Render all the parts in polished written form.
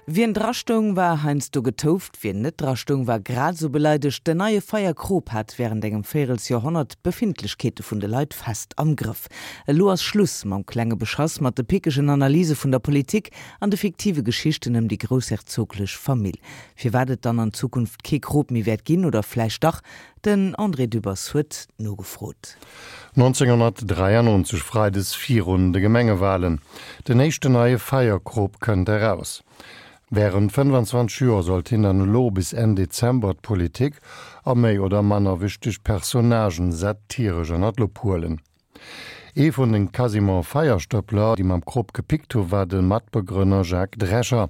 Wien drastoung, war heiansdo getouft, wien net drastoung, war grad esou beleidegt. Den neie Feierkrop hat wärend engem Véirelsjoerhonnert d'Befindlechkeete vun de Leit fest am Grëff. Elo ass Schluss mam klenge Beschass, mat de pickegen Analyse vun der Politik an de fiktive Geschichten ëm déi groussherzoglech Famill. Firwat et dann an Zukunft kee Krop méi wäert ginn, oder vläicht dach, den André Dübbers huet nogefrot. 1993, Freides virun de Gemengewalen, den éischten neie Feierkrop kënnt eraus. Wärend 25 Joer sollt hien dann elo bis Enn Dezember d'Politik a méi oder manner wichteg Personnagen satiresch ënner d'Lupp huelen. Ee vun de quasiment Feierstëppler, déi mam Krop gepickt hu war de Matbegrënner Jacques Drescher,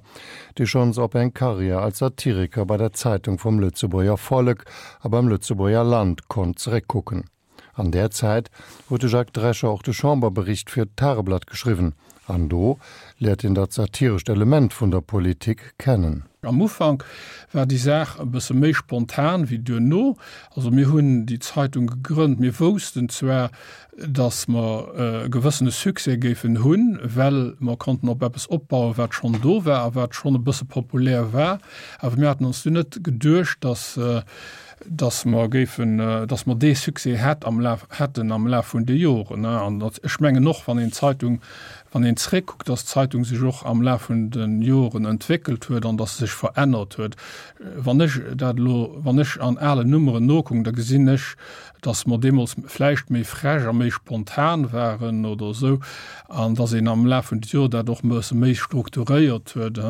dee schonns op eng Karriär als Satiriker bei der Zeitung vum Lëtzebuerger Vollek a beim Lëtzebuerger Land konnt zeréckkucken. An där Zäit huet de Jacques Drescher och de Chamberbericht fir d'Tageblatt geschriwwen, an do léiert een dat satirescht Element vun der Politik kennen. Am Ufank war déi Saach e bësse méi spontan wéi duerno. Also mir hunn déi Zeitung gegrënnt, mir woussten zwar, datt mer e gewëssene Succès géifen hunn, well mer konnten op eppes opbauen, wat schonn do war a wat schonn e bësse populär war, awer mir haten ons dunn net geduecht, datt dass mer géifen, dass mer dee Succès hätt am Laf, hätten am Laf vun de Joren. An ech mengen och, wann een d'Zeitung, wann een zréckkuckt, dass d'Zeitung sech och am Laf vun de Joren entwéckelt huet an dass se sech verännert huet. Wann ech dat elo, wann ech an alen Nummeren nokucken, da gesinn ech, dass mer deemools vläicht méi frech a méi spontan waren oder esou an dass een am Laf vun de Joren dat och e bësse méi strukturéiert huet.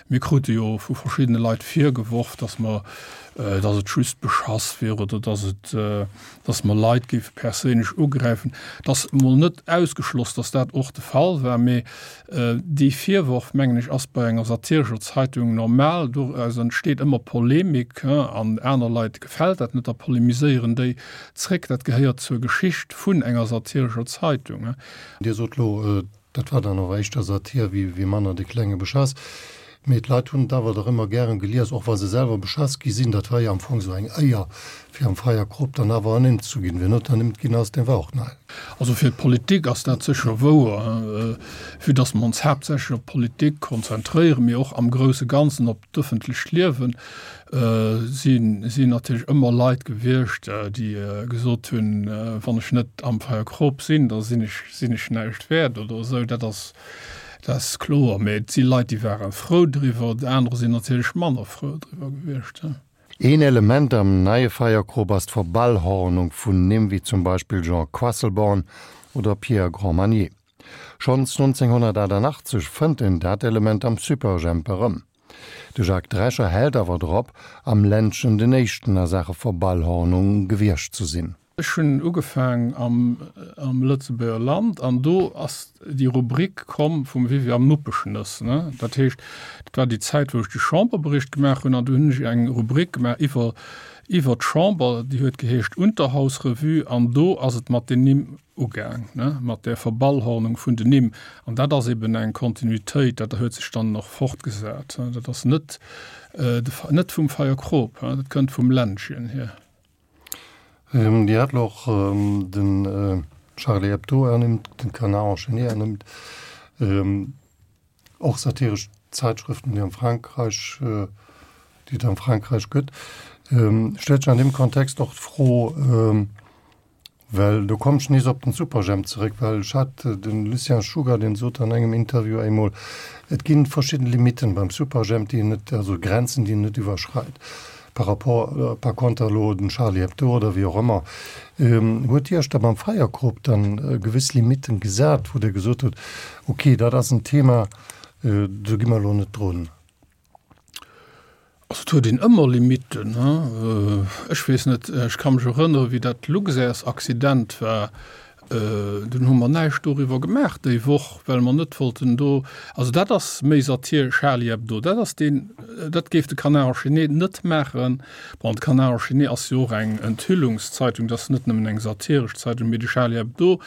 Mir krute jo vu verschiddene Leit virgeworf, dass mer, dass et just Beschass wier oder dass et, dass mer Leit géife perséinlech ugräifen. Et ass emol net ausgeschloss, dass dat och de Fall war, mee dee Virworf, mengen ech, ass bei enger satirescher Zeitung normal. Doraus entsteet ëmmer Polemik an aner Leit gefält dat net, da polemiséieren déi zréck. Dat gehéiert zur Geschicht vun enger satirescher Zeitung. Dir sot elo, Dat war dann och éischter Satir wéi manner de klenge Beschass. Mee d'Leit hunn et awer dach ëmmer gären gelies, och wa se selwer beschass gi sinn. Dat war jo am Fong esou eng Éier, fir am Feierkrop dann awer ernimmt zu ginn. Wien net ernimmt ginn ass, dee war och nei. Also fir d'Politik ass dat sécher wouer, vue dass mer ons haaptsächlech op d'Politik konzentréieren, mee och am grousse Ganzen op d'ëffentlecht Liewen, sinn natierlech ëmmer Leit gewiescht, déi gesot hunn, wann ech net am Feierkrop sinn, da sinn ech, sinn ech näischt wäert oder esou. Dat ass, dat ass kloer. Mee et si Leit, déi ware frou driwwer, anerer sinn natierlech manner frou driwwer gewiescht. Een Element am neie Feierkrop ass d'Verballhornung vun Nimm wéi zum Beispill Jean Quasselborn oder Pierre Grandmagné. Schonns 1988 fënnt een dat Element am Superjhemp erëm. De Jacques Drescher hält awer drop, am Ländchen den éischten a Saache Verballhornung gewiescht ze sinn. Ech hunn ugefaang am am Lëtzebuerger Land an do ass déi Rubrik komm vum Viviane Muppeschnëss, ne. Dat heescht, dat war déi Zäit, wou ech de Chamberbericht gemaach hunn an do hunn ech eng Rubrik gemaach iwwer iwwer d'Chamber, déi huet geheescht Unterhausrevue an do ass et mat den Nimm ugaang, ne, mat där Verballhornung vun den Nimm. An dat ass eben eng Kontinuitéit, dat huet sech dann och fortgesat. Dat ass net, net vum Feierkrop, dat kënnt vum Ländchen hier. Dir hat elo och den Charlie Hebdo ernimmt, den Canard enchaîné ernimmt, och satiresch Zäitschrëften, déi am Frankräich, déi et am Frankräich gëtt. Stellt sech an deem Kontext och d'Fro, Well do kommen ech nees op den Superjhemp zeréck, well ech hat den Lucien Czuga, deen sot an engem Interview eemol, et ginn verschidden Limiten beim Superjhemp, déi een net, also Grenzen, déi een net iwwerschreit. Par rapport, par conter elo den Charlie Hebdo oder wéi och ëmmer. Huet Dir Iech da beim Feierkrop dann gewëss Limiten gesat, wou Dir gesot hutt, ok, dat ass en Thema, do gi mer elo net drun? Also et huet een ëmmer Limitten. Ech weess net, ech ka mech erënnere wéi dat Luxairs-Accident war, dunn hu mer näischt doriwwer gemaach déi Woch, well mer net wollten do, also dat ass méi Satir, Charlie Hebdo, dat ass deen, dat géif de Canard enchaîné net maachen. Bon, de Canard enchaîné ass jo och eng Enthüllungszeitung, dat ass net nëmmen eng satiresch Zeitung, mee de Charlie Hebdo,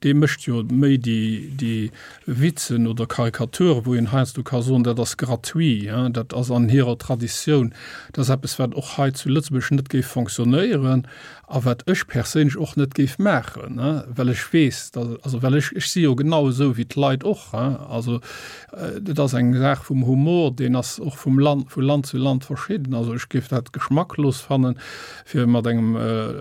dee mécht jo méi déi, déi Witzen oder Karikaturen, wou een heiansdo ka soen, dat ass gratuit, dat ass an hirer Traditioun, dat ass eppes, wat och hei zu Lëtzebuerg net géif fonctionnéieren a wat ech perséinlech och net géif maachen, well. well ech weess, dass, also well ech, ech si jo genau esou wéi d'Leit och, hein. Also dat ass eng Saach vum Humor, deen ass och vum Land, vu Land zu Land verschidden. Also ech géif dat geschmacklos fannen, fir mat engem,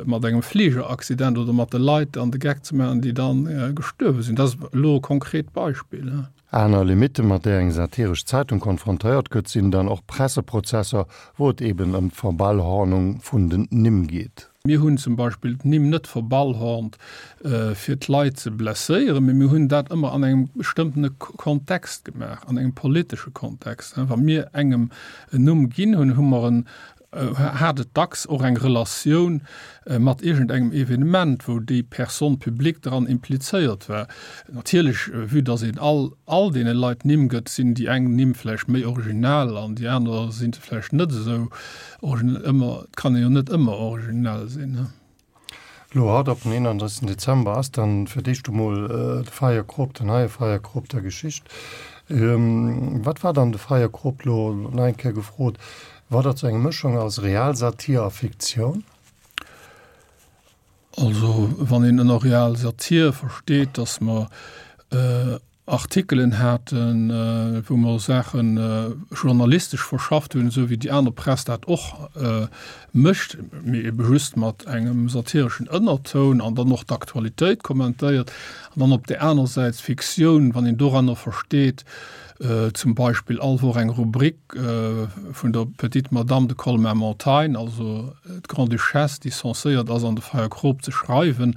mat engem Fligeraccident oder mat de Leit an de Geck ze maachen, déi dann gestuerwe sinn. Dat ass elo e konkret Beispill, hein. Aner Limitten, mat där eng satiresch Zeitung konfrontéiert gëtt, sinn dann och Presseprozesser, wou et eben ëm d'Verballhornung vun den Nimm geet. Mir hunn zum Beispill d'Nimm net verballhornt, fir d'Leit ze blesséieren, mee mir hunn dat ëmmer an engem bestëmmtene Kontext gemaach, an engem politesche Kontext. Wa mir engem en Numm ginn hunn, hu mer en hat et dacks och eng Relatioun mat iergendengem Evenement, wou déi Personne publique dran implizéiert war. Natierlech, vue dass een all all deene Leit Nimm gëtt, sinn déi eng Nimm vläicht méi original an déi aner si vläicht net esou originell. Ëmmer, et kann ee jo net ëmmer originell sinn. Lo haut op den 31 Dezember ass dann fir d'éischt emol de Feierkrop, den neie Feierkrop der Geschicht. Wat war dann de Feierkrop lo nach eng Kéier gefrot, war dat sou eng Mëschung aus Realsatir a Fiktioun? Also wann een ënner Realsatir versteet, datt mer Artikelen haten, wou mer Saache journalistesch verschafft hunn, esou wéi déi aner Press dat och mécht, mee ebe just mat engem satireschen Ënnertoun an dann och d'Aktualitéit kommentéiert. An dann op där aner Säit Fiktioun, wann een doranner versteet, zum Beispill all Woch eng Rubrik vun der Petite Madame de Colmar-Montagne, also d'Grande-Duchesse, déi censéiert ass an de Feierkrop ze schreiwen,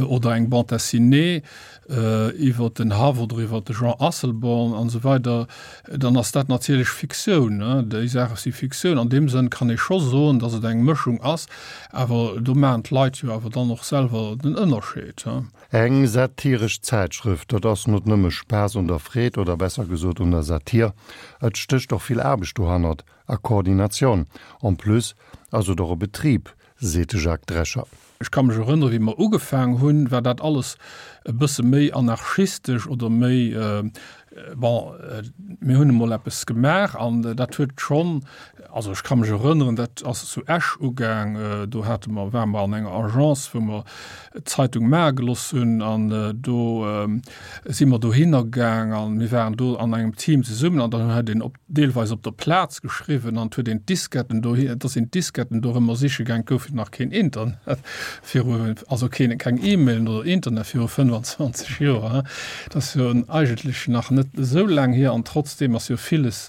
oder eng Bande dessinée, iwwer den Haff oder iwwer de Jean Asselborn an esou weider, dann ass dat natierlech Fiktioun. Déi Saache si Fiktioun. An deem Sënn kann ee scho soen, datt et eng Mëschung ass, awer do maachen d'Leit jo awer dann och selwer den Ënnerscheed. Eng satiresch Zäitschrëft, dat ass not nëmme Spaass un der Freed oder besser gesot un der Satir. Et stécht och vill Aarbecht dohannert a Koordinatioun. En plus ass et och e Betrib, seet de Jacques Drescher. Ech ka mech erënnere wéi mer ugefaang hunn, war dat alles e bësse méi anarchistesch oder méi, bon, mir hunn emol eppes gemaach an dat huet schonn, also ech ka mech erënneren, dat ass zu Esch ugaang, do hate mer, ware mer an enger Agence, wou mer d'Zeitung maache gelooss hunn an do si mer dohinner gaang an mir waren do an engem Team zesummen an dann huet een op deelweis op der Plaz geschriwwen an et huet een d'Disketten dohi, et ass een d'Disketten dorëmmer siche gaang, et gouf jo nach keen Internet viru, also keen, keng E-Mailen oder Internet viru 25 Joer, hein. Dat ass jo eigentlech nach net esou laang hier an trotzdeem ass jo villes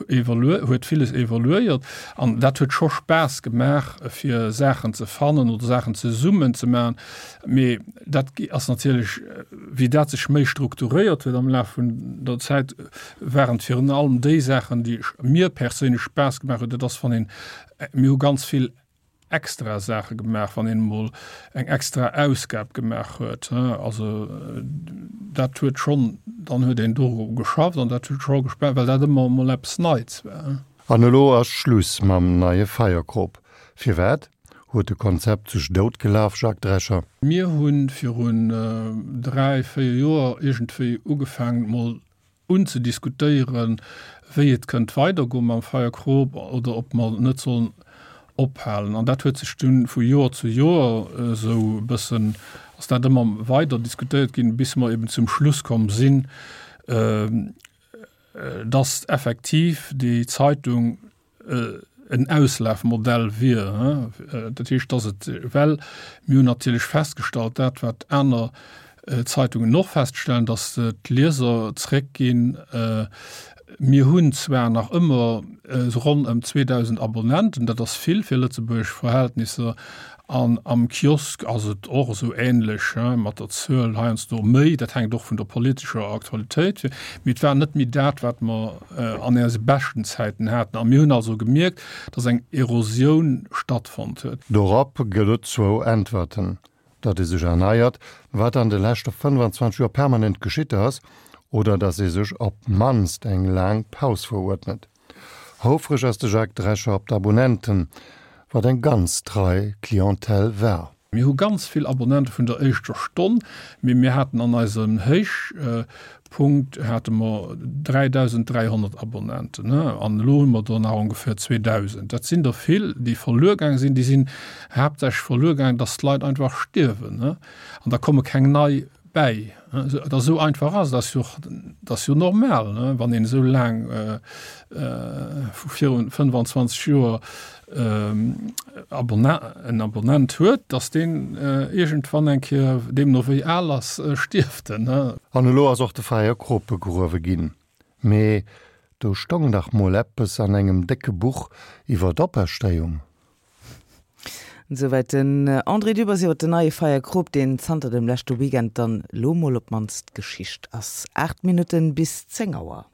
evolué, huet villes evoluéiert an dat huet scho Spaass gemaach fir Saachen ze fannen oder Saachen zesummen ze maachen. Mee dat ass natierlech, wéi dat sech méi strukturéiert huet am Laf vun der Zäit, waren et virun allem déi Saachen, déi mir perséinlech Spaass gemaach hunn. Dat ass, wann een, mir hu ganz vill extra Saache gemaach, wann een emol eng extra Ausgab gemaach huet. Also dat huet schonn, dann huet een doru geschafft an dat huet scho gespaant, well dat ëmmer emol eppes Neits war. An elo ass Schluss mam neie Feierkrop. Firwat? Huet de Konzept sech dout gelaf, Jacques Drescher? Mir hu virun 3, 4 Joer iergendwéi ugefaangen emol unzediskutéieren, wéi et kënnt weidergoe mam Feierkrop oder ob mer net sollen ophalen. An dat huet sech dunn vu Joer zu Joer esou e bëssen, ass dat ëmmer weider diskutéiert ginn, bis mer eben zum Schluss komm sinn, dass effektiv déi Zeitung en Auslafmodell wier. Dat heescht, dass et, well mir hunn natierlech festgestallt, dat wat aner Zeitungen och feststellen, dass d'Lieser zréckginn. Mir hunn zwar nach ëmmer ronn ëm 2.000 Abonnenten, dat ass vill fir lëtzebuergesch Verhältnisser, An am Kiosk ass et och esou ähnlech mat der Zuel, heiansdo méi, dat hänkt och vun der politescher Aktualitéit, mee et war net méi dat, wat mer an eise beschten Zäiten haten. A mir hunn also gemierkt, dass eng Erosioun stattfonnt huet. Dorop gëtt et zwou Äntwerten, datt ee sech erneiert, wat an de leschte 25 Joer permanent geschitt ass, oder datt ee sech op d'mannst eng laang Paus veruerdnet. Houfreg ass de Jacques Drescher op d'Abonnenten, wat eng ganz trei Clientèle war. Mir hu ganz vill Abonnente vun der éischter Stonn, mee mir haten an eisem Héichpunkt hate mer 3.300 Abonnenten an elo hu mer der nach ongeféier 2.000. Dat sinn der vill, déi verluer gaange sinn. Déi sinn haaptsächlech verluer gaangen, datt d'Leit einfach stierwen an da komme keng nei bäi. Et ass esou einfach ass, et ass jo, et ass jo normal, ne, wann een esou laang vu virun 25 Joer en Abonnent huet, datt deen iergendwann eng Kéier, deemno wéi al ass, stierft en, ne. An elo ass och de Feierkrop begruewe ginn. Mee do stong dach mol eppes an engem décke Buch iwwer d'Operstéiung. Esouwäit den André Dübbers iwwer den neie Feierkrop, deen zanter dem leschte Weekend dann lo mol op d'mannst Geschicht ass. 8 Minutten bis 10 Auer.